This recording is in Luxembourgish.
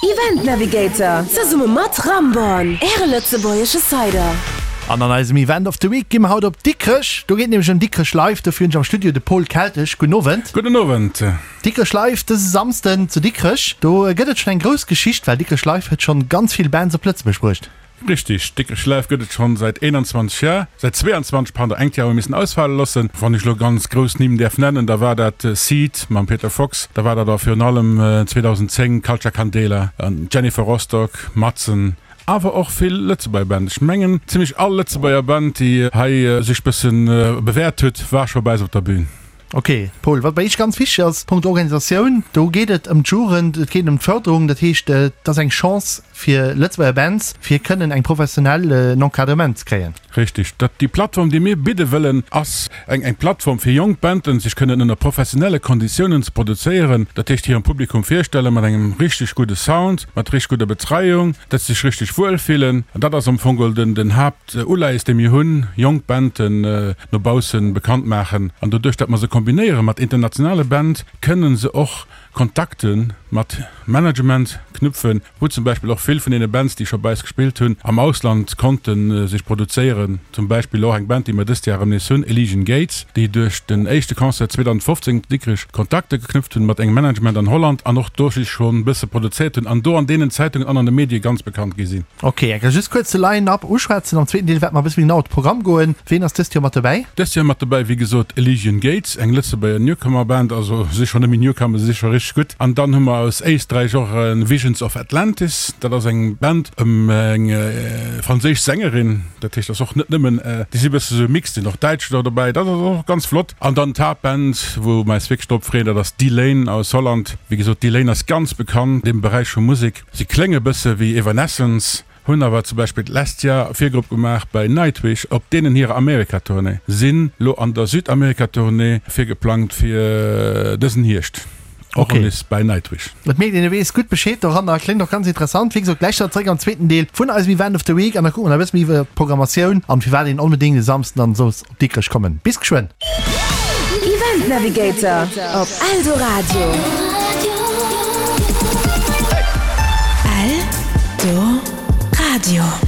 Event Navigator zesumme mat Ramborn, Äre lëtzebuergesche Cider. An an eisem Event of the Week gi mer haut op Dikrech. Do geet nämlech ëm Dikrech Live. Dofir hunn ech am Studio de Paul Keltesch. Gudden Owend. Gudden Owend. Dikrech Live dëse Samsden zu Dikrech. Do gëtt et schonn eng grouss Geschicht, well Dikrech Live huet schonn ganz vill Bands op Lëtzebuerg bruecht. Richtig, Dikrech Live gëtt et schonn säit 21 Jar, säit 22, pardon, engt Jar hu mir missen ausfale loossen. Wann ech elo ganz grouss Nimm däerf nennen, da war dat Seed mam Peter Fox, da war dat awer virun allem 2010 Culcha Candela, Jennifer Rostock, Madsen, awer och vill Lëtzebuerger Band. Ech mengen zimmlech all Lëtzebuerger Band, déi hei sech bëssen bewäert huet, war scho bei eis op der Bühn. Ok, Paul, wat bei Iech ganz wichteg ass, Punkt Organisatioun, do geet et ëm d'Jugend, et geet ëm d'Förderung, dat heescht, et ass eng Chance fir Lëtzebuerger Bands, fir kënnen eng professionell en Encadrement ze kréien. Richtig. Dat, déi Plattform, déi mir bidde wëllen, ass eng eng Plattform fir jonk Banden, sech kënnen ënner professionelle Konditiounen ze produzéieren, dat heescht hirem Publikum virstellen mat engem richtig gudde Sound, mat richtig gudder Betreiung, dat se sech richtig wuel fillen. An dat ass am Fong geholl den den Haaptuleies, dee mir hunn, jonk Banden no baussen bekannt maachen an doduerch dat mer se kombinéiere mat internationale Band, kënnen se och Kontakte mat Management knüpfen, wou zum Beispill och vill vun deene Bands, déi scho bei eis gespillt hunn, am Ausland konnte sech produzéieren. Zum Beispill och eng Band, déi mer dëst Jar erëm nees hunn, Elysian Gates, déi duerch den éischte Concert 2015 zu Dikrech Kontakte geknüpft hunn mat engem Management an Holland an och do sech schonn e bësse produzéiert hunn an do an deenen Zeitungen an an de Medie ganz bekannt gi sinn. Ok, enker just kuerz de Line-Up uschwätzen. Am zweeten Deel wäerte mer e bësse méi genau op de Programm goen. Ween ass dëst Joer mat dobäi? Dëst Joer mat dobäi, wéi gesot, Elysian Gates, eng Lëtzebuerger Newcomer-Band, also si scho net méi Newcomer, si si scho richteg gutt. An dann hu mer aus Éisträich och Visions of Atlantis, dat ass eng Band ëm eng franséisch Sängerin, dat heescht, ass och net nëmmen, déi si bësse sou mixed, sinn och Däitsch do dobäi, dat ass och ganz flott. An dann d'Haaptband, wou mer eis wierklech drop freeën, dat ass Delain aus Holland. Wéi gesot, Delain ass ganz bekannt an deem Beräich vu Musek. Si klénge bësse wéi Evanescence, hunn awer zum Beispill d'lescht Jar Virgrupp gemaach bei Nightwish op deenen hirer Amerika-Tournée, sinn lo an der Südamerika-Tournée virgeplangt fir dësen Hierscht, och Ok. nees bei Nightwish. Et mierkt een, e weess gutt Bescheed doranner. Kléngt och ganz interessant. Wéi gesot, gläich dann zréck am zweeten Deel vun eisem Event of the Week an da kucke mer nach e bësse méi iwwer d'Programmatioun an firwat een onbedéngt e Samsden dann soll op Dikrech kommen. Bis geschwënn! Event Navigator op Eldoradio. Eldoradio.